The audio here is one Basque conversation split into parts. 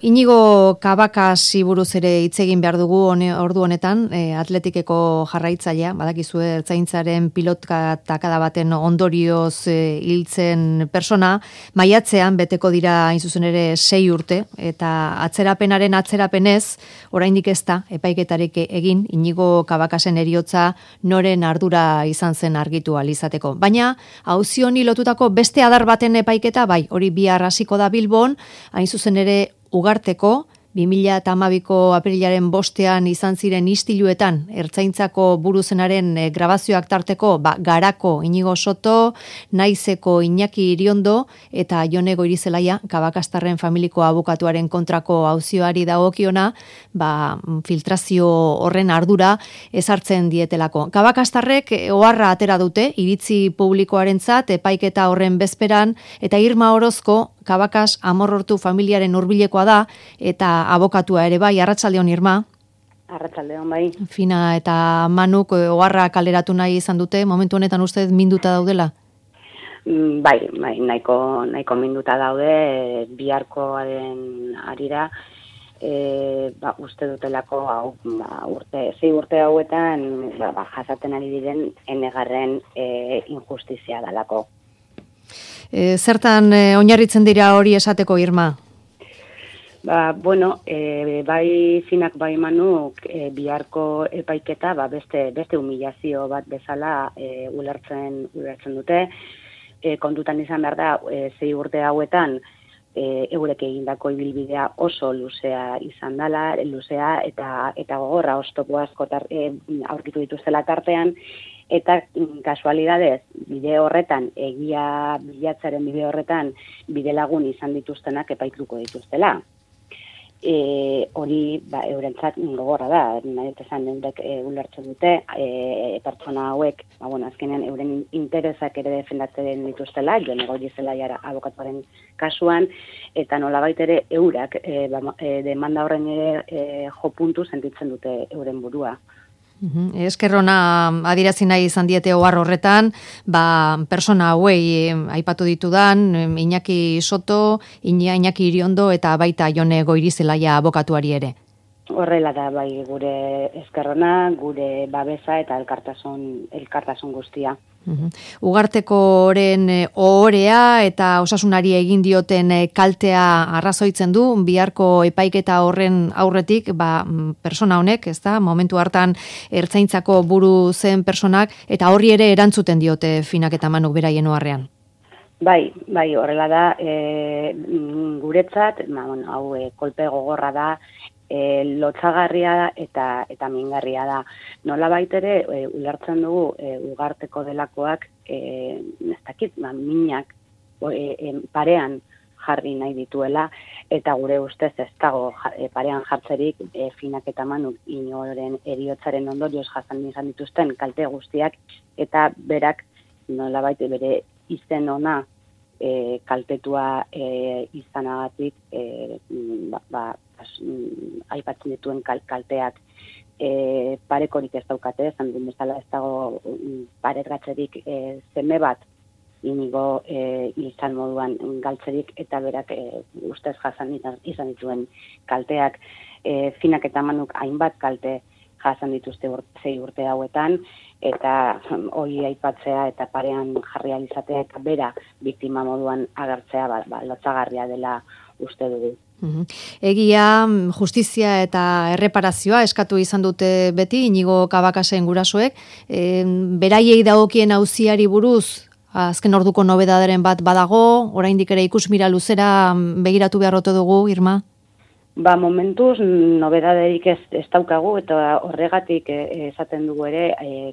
Inigo Kabakasi buruz ere hitz egin behar dugu ordu honetan, atletikeko jarraitzailea, badakizue ertzaintzaren pilotka takada baten ondorioz hiltzen persona, maiatzean beteko dira hain zuzen ere 6 urte, eta atzerapenez, oraindik ez da, epaiketarik egin, Inigo Kabakasen heriotza noren ardura izan zen argitu ahal izateko. Baina, auzi honi lotutako beste adar baten epaiketa, bai, hori bihar hasiko da Bilbon, hain zuzen ere Ugarteko, 2012ko aprilaren 5ean izan ziren istiluetan, ertzaintzako buruzenaren grabazioak tarteko, Garako Inigo Soto, Naizeko Iñaki Iriondo eta Jone Goirizelaia, Kabakastarren familiko abokatuaren kontrako auzioari dagokiona, filtrazio horren ardura ezartzen dietelako. Kabakastarrek oharra atera dute, iritzi publikoarentzat, epaiketa horren bezperan, eta Irma Orozko, Kabakas Amorortu familiaren hurbilekoa da, eta abokatua ere bai, arratsaldeon Irma. Arratsaldeon bai. Fina eta Manuk oharra kaleratu nahi izan dute, momentu honetan uste minduta daudela? Bai, nahiko minduta daude, biharkoaren arira, uste dutelako sei urte hauetan jasaten ari diren enegarren injustizia dalako. Zertan oinarritzen dira hori esateko, Irma? Bai Finak bai Manuk biharko epaiketa beste humilazio bat bezala ulertzen dute. Kontutan izan behar da, 6 urte hauetan eurek egindako ibilbidea oso luzea izan dela, luzea eta gogorra oztopo asko aurkitu dituztela tartean, eta kasualidadez, bide horretan, egia bilatzaren bide horretan, bide lagun izan dituztenak epaituko dituztela. Hori eurentzat gogorra da, nahi esan eurek ulertzen dute, pertsona hauek, azkenean euren interesak ere defendatzen dituztela, Jone Goirizelaia abokatuaren kasuan, eta nolabait ere eurak demanda horren ere jo puntu sentitzen dute euren burua. Eskerrona adierazi nahi izan diete ohar horretan, persona hauei aipatu ditudan, Iñaki Soto, Iñaki Iriondo eta baita Jone Goirizelaia abokatuari ere. Horrela da bai gure eskerrona, gure babesa eta elkartasun guztia. Ugartekoren ohorea eta osasunari egin dioten kaltea arrazoitzen du, biharko epaiketa horren aurretik, persona honek, ezta, momentu hartan ertzaintzako buru zen personak, eta horri ere erantzuten diote Finak eta Manuk beraien oharrean. Bai, horrela da, guretzat, hau kolpe gogorra da, lotsagarria eta mingarria da. Nolabait ere ulertzen dugu Ugarteko delakoak minak parean jarri nahi dituela, eta gure ustez ez dago parean jartzerik Finak eta Manuk inoren heriotzaren ondorioz jasan izan dituzten kalte guztiak, eta berak nolabait bere izen ona kaltetua izanagatik aipatzen dituen kalteak parekorik ez daukate, esan duen bezala ez dago paretgatzerik seme bat Inigo izan moduan galtzerik, eta berak ustez jasan izan dituen kalteak. Finak eta Manuk hainbat kalte jasan dituzte 6 urte hauetan, eta hori aipatzea eta parean jarri ahal izatea eta bera biktima moduan agertzea lotsagarria dela uste dugu. Egia, justizia eta erreparazioa eskatu izan dute beti Inigo Kabakasen gurasoek, beraiei dagokien auziari buruz azken orduko nobedaderen bat badago, oraindik ere ikusmira luzera begiratu beharrote dugu, Irma? Momentuz, nobedaderik ez daukagu, eta horregatik esaten dugu ere,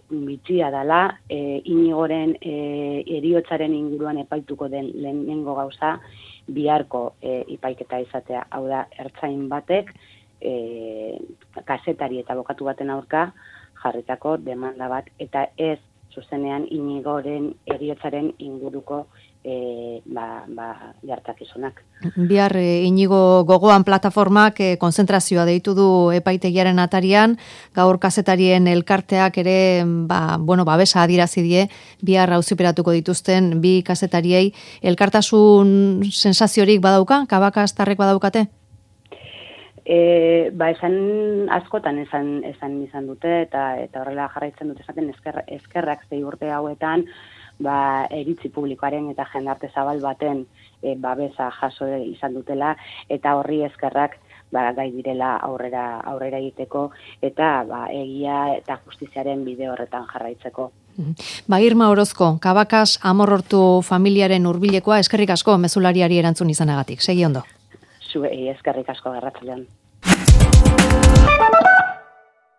bitxia dela, Inigoren heriotzaren inguruan epaituko den lehenengo gauza, biharko ipaiketa izatea. Hau da, ertzain batek, kazetari eta abokatu baten aurka jarritako demanda bat, eta ez zuzenean Inigoren heriotzaren inguruko gertakizunak. Bihar Inigo gogoan plataformak konzentrazioa deitu du epaitegiaren atarian, gaur kazetarien elkarteak ere babesa adierazi die bihar auziperatuko dituzten bi kazetariei. Elkartasun sensaziorik badauka, Kabakastarrek badaukate? Esan askotan esan izan dute eta horrela jarraitzen dute esaten eskerrak 6 urte hauetan iritzi publikoaren eta jendarte zabal baten babesa jaso izan dutela eta horri eskerrak gai direla aurrera egiteko eta egia eta justiziaren bide horretan jarraitzeko. Irma Orozko, Cabacas Amorortu familiaren hurbilekoa, eskerrik asko mezulariari erantzun izanagatik. Segi ondo. Eskerrik asko, arratsaldean.